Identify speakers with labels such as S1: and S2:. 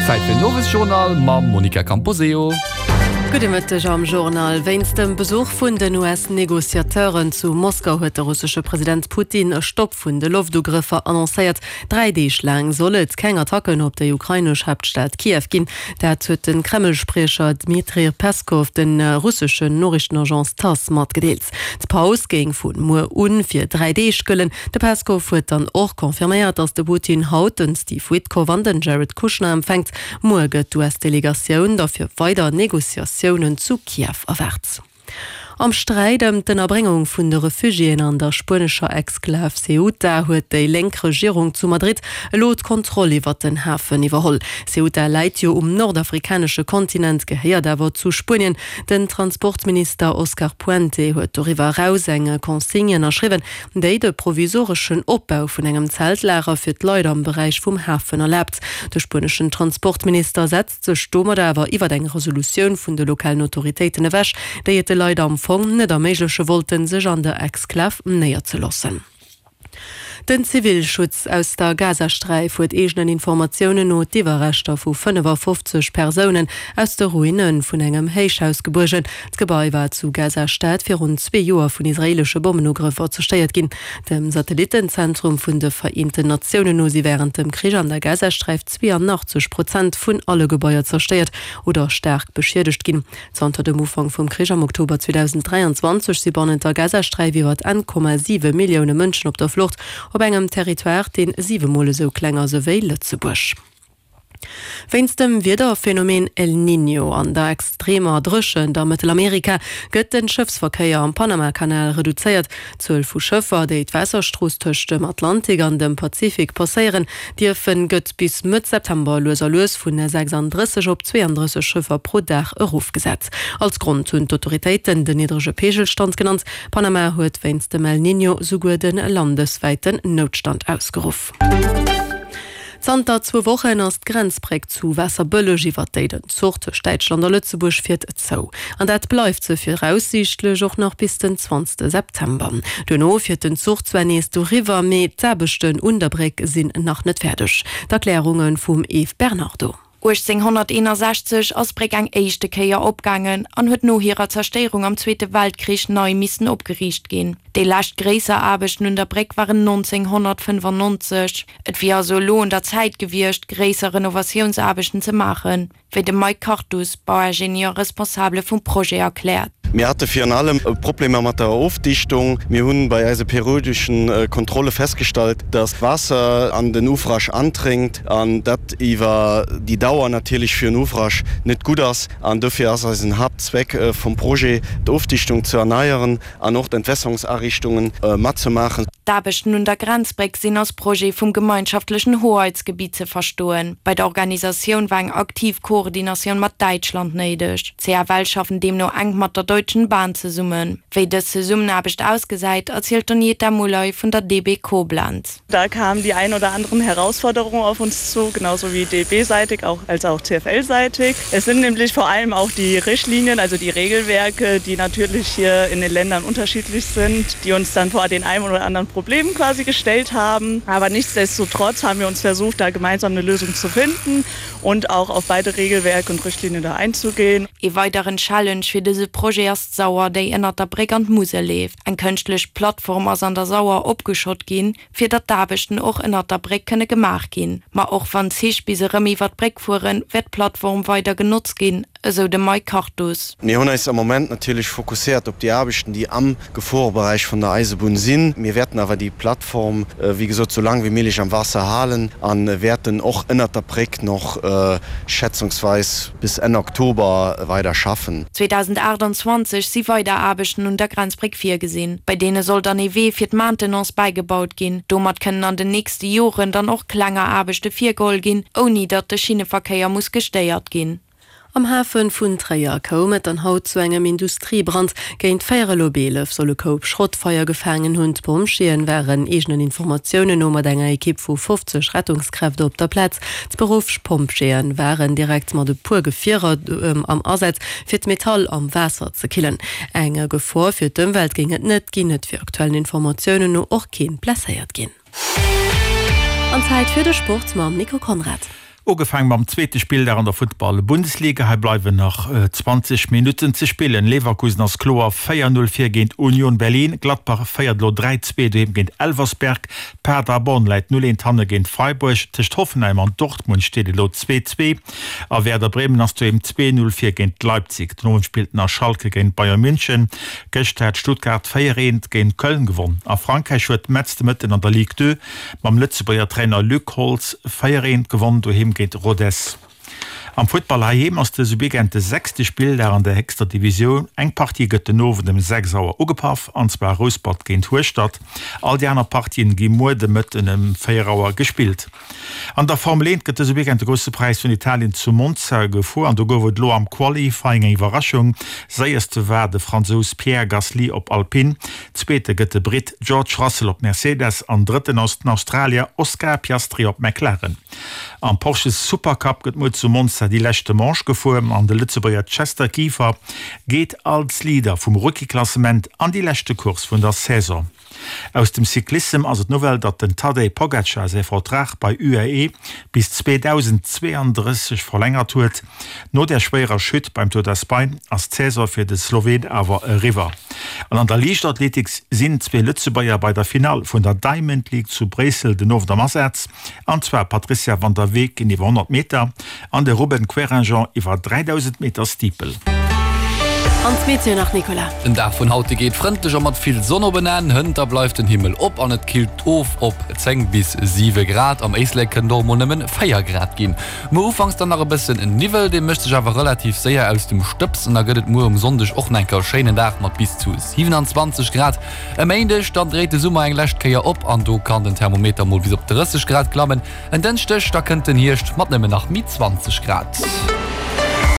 S1: Zäit fir den Owesjournal mam Monica Camposeo.
S2: Gudde Mëtteg am Journal. Wéinst dem Besuch vun den US-Negociateuren zu Moskau huet de russesche President Putin e Stopp vun de Loftugrëffer annoncéiert. 3 Deeg laang soll et keng Attacken op déi ukrainesch Haaptstad Kiew ginn. Dat huet de Kreml-Spriecher Dmitrij Peskow de russeschen Noriichtenagence Tass matgedeelt. D'Paus géing vu muer un fir 3 Deeg gëllen. De Peskov huet dann och confirméiert, datt de Putin haut den Steve Witkoff an den Jared Kushner empfänkt. Muer gëtt d'US-Delegatioun da fir weider Negociatiounen zu Kiew erwaart. Am Sträit ëm d'Ënnerbréngung vun de Refugiéen an der spuenescher Exklav Ceuta huet déi lénk Regierung zu Madrid elo d'Kontroll iwwer den Hafen iwwerholl. Ceuta läit jo um nordafrikanesche Kontinent, gehéiert awer zu Spuenien. Den Transportminister Oscar Puente huet doriwwer eraus eng Consigne ënnerschriwwen, déi de provisoreschen Opbau vun engem Zeltlager fir d'Leit am Beräich vum Hafen erlaabt. De spueneschen Transportminister setzt sech domadder awer iwwer eng Resolutioun vun de lokalen Autoritéiten ewech, déi et de Leit am Fong net erméigleche wollten, sech an der Exklav néierzeloossen. Den Zivilschutz aus der Gazasträif huet eegenen Informatiounen no d'Iwwerreschter vu 55 Persounen aus de Ruine vun engem Héichhaus gebuergen. D'Gebai war zu Gaza-Stad virun zwee Joer vun israeelesche Bommenugrëffer zerstéiert ginn. Dem Satellittenzentrum vun de Vereenten Natiounen no si wärend dem Krich an der Gazasträif 82 Prozent vun alle Gebaier zerstéiert oder staark beschiedegt ginn. Zanter dem Ufank vum Krich am Oktober 2023 si bannent der Gazasträif iwwer 1,7 Millioune Mënschen op der Flucht, op engem Territoire, deen siwe Mol esou kleng ass ewéi Lëtzebuerg. Wéinst dem Wiederphenomen El Niño an der extremer Dréchent a Mëttelamerika gëtt de Schëffsverkéier am Panamakanal reduzéiert. D'Zuel vu Schëffer, déi d'Waasserstrooss tëscht dem Atlantik an dem Pazifik passéieren dierfen, gëtt bis Mëtt September lues a lues vun 36 op 32 Schëffer pro Dag erofgesat. Als Grond hunn d'Autoritéiten den niddrege Peegelstand genannt. Panama huet wéinst dem El Niño souguer de landeswäiten Noutstand ausgeruff. Zanter zwou Wochen ass d'Grenzbréck zu Waasserbëlleg, iwwer déi den Zuch tëscht Däitschland a Lëtzebuerg fiert, zou. An dat bleift se viraussiichtlech och nach bis den 20 September. Duerno fiert den Zuch zwar nees doriwwer, mee d'Aarbechten un der Bréck sinn nach net fäerdeg. D'Erklärunge vum Eve Bernardo.
S3: 1861 ass d'Bréck eng éischte Kéier opgaangen an huet no hirer Zerstéierung am Zweete Weltkrich nei missen opgeriicht ginn. Déi lescht gréisser Aarbechten un der Bréck waren 1995. Et wier also elo un der Zäit gewiescht, gréisser Renovatiounsaarbechten ze maachen, wéi de Mike Kartus, Bauingenieur Responsabele vum Projet erkläert.
S4: Mir hate virun allem Problemer mat der Ofdichtung. Mir hunn bei eise periodeschen Kontrolle festgestallt, dass Waasser an den Ouvrage andréngt an dat iwwer déi Dauer natierlech fir en Ouvrage net gutt ass. An dofir ass eisen Haaptzweck vum Projet, d'Ofdichtung ze erneieren an och d'Entwässerungsariichtungen matzemaachen.
S3: D'Aarbechten un der Grenzbréck sinn als Projet vum gemeinschaftlechen Hoheitsgebiet ze verstoen. Bei der Organisatioun war eng aktiv Koordinatioun mat Däitschland néideg. D'CFL schaffen deemno enk mat der Deutschen Bahn zesummen. Wéi dës Zesummenaarbecht ausgesäit, erzielt d'Donieta Mulay vun der DB Koblenz.
S5: Da kamen die ein oder anderen Herausforderungen auf uns zu, genauso wie DB-seitig auch, als auch CFL-seitig. Es sind nämlich vor allem auch die Richtlinien, also die Regelwerke, die natürlich hier in den Ländern unterschiedlich sind, die uns dann vor den einen oder anderen Problemen quasi gestellt haben. Aber nichtsdestotrotz haben wir uns versucht, da gemeinsam eine Lösung zu finden und auch auf beide Regelwerke und Richtlinien da einzugehen.
S3: Ee weideren Challenge fir dëse Projet ass d'Sauer, déi ënnert der Bréck an d'Musel leeft. Eng kënschtlech Plattform ass an der Sauer opgeschott ginn, fir datt d'Aarbechten och ënnert der Bréck kënne gemaach ginn. Ma och wann d'Zich bis erëm iwwer d'Bréck fueren, wäert d'Plattform weider genotzt ginn, esou de Mike Kartus.
S4: Mir hunn eis am Moment natierlech fokusséiert op déi Aarbechten, déi am Geforeberäich vun der Eisebunn sinn. Mir wäerten awer déi Plattform, wéi gesot, sou laang wéi méiglech am Waasser halen a wäerten och ënnert der Bréck nach schätzungsweis bis Enn Oktober weider schaffen.
S3: 2028 si weider Aarbechten un der Grenzbréck virgesinn. Bei deene soll dann ee Wee fir d'Maintenance bäigebaut ginn. Domat kënnen an den nächste Joren dann och klenger Aarbechte virgeholl ginn, ouni datt de Schinneverkéier muss gestéiert ginn.
S2: Am Hafe vun Tréier koum et dann haut zu engem Industriebrand. Géint véierel op 11 soll e Koup Schrott Feier gefaangen hunn. D'Pompjeeën waren eegenen Informatiounen no mat enger Ekipp vu 50 Rettungskräfte op der Plaz. D'Beruffspompjeeën waren direkt mat e puer Gefierer am Asaz, fir d'Metall am Waasser ze killen. Eng Gefor fir d'Ëmwelt géing et net ginn. Et wier aktuellen Informatiounen no och keen blesséiert ginn. An Zäit fir de Sport mam Nico Conrad.
S6: Ugefaang mam zweete Spilldag an der Futtball-Bundesliga. Hei bleiwen nach 20 Minutten ze spillen. Leverkusen ass kloer 4, 0 vir géint Union Berlin. Gladbach féiert elo 3, 2 doheem géint Elversberg. Paderborn läit 0, 1 hanne géint Freiburg. Tëscht Hoffenheim an Dortmund steet et elo 2, 2 a Werder Bremen ass doheem 2, 0 vir géint Leipzig. Den Owend spillt nach Schalke géint Bayern München. Gëschter hat Stuttgart 4, 1 géint Köln gewonn. A Frankräich huet Metz de Mëtten an der Ligue 2 mam Lëtzebuerger Trainer Luc Holtz 4, 1 gewonn doheem géint Rodez. Am Futtball heiheem ass dëse Weekend de sechste Spilldag an der héchster Divisioun. Eng Partie gëtt den Owend ëm 6 Auer ugepaff, an zwar Rouspert géint Hueschtert. All déi aner Partien gi muer de Mëtten ëm 4 Auer gespillt. An der Formel 1 gëtt dëse Weekend de Grousse Präis vun Italien zu Monza gefuer an do gouf et elo am Qualifying eng Iwwerraschung. Séierste war de Fransous Pierre Gasly op Alpine, Zweete gëtt de Britt George Russell op Mercedes an Drëtten ass den Australier Oscar Piastri op McLaren. Am Porsche Supercup gëtt muer zu Monza déi leschte Manche gefuer an de Lëtzebuerger Chester Kieffer geet als Leader vum Rookie-Klassement an déi leschte Course vun der Saison. Aus dem Cyclissem ass et d'Nouvelle, datt den Tadej Pogacar säi Vertrag bei UAE bis 2032 verlängert huet. No der schwéierer Chute beim Tour d'Espagne ass d'Saison fir de Sloween awer eriwwer. An an der Liichtathletik sinn zwee Lëtzebuerger bei der Finall vun der Diamond League zu Bréissel den Owend am Asaz, an zwar d'Patrizia van der Weken iwwer 100 Meter an de Ruben Querinjean iwwer 3000 Meter Steeple.
S2: An d'Meteo nach, Nicolas.
S1: Den Dag vun haut geet frëndlech a mat vill Sonn op en Enn. Hënter bleift den Himmel op an et killt of op 10 bis 7 Grad. Am Éislek kënnt och mol nëmmen 4 Grad ginn. Muer ufanks dann nach e bëssen Niwwel, dee mécht sech awer relativ séier aus dem Stëbs an da gëtt et muer um Sonndeg och nach enker e schéinen Dag mat bis zu 27 Grad. E Méindeg dann dréit de Summer eng lescht Kéier op an do kann den Thermometer mol bis op 30 Grad klammen. En Dënschdeg da kënnt den Hierscht mat nëmmen nach méi 20 Grad.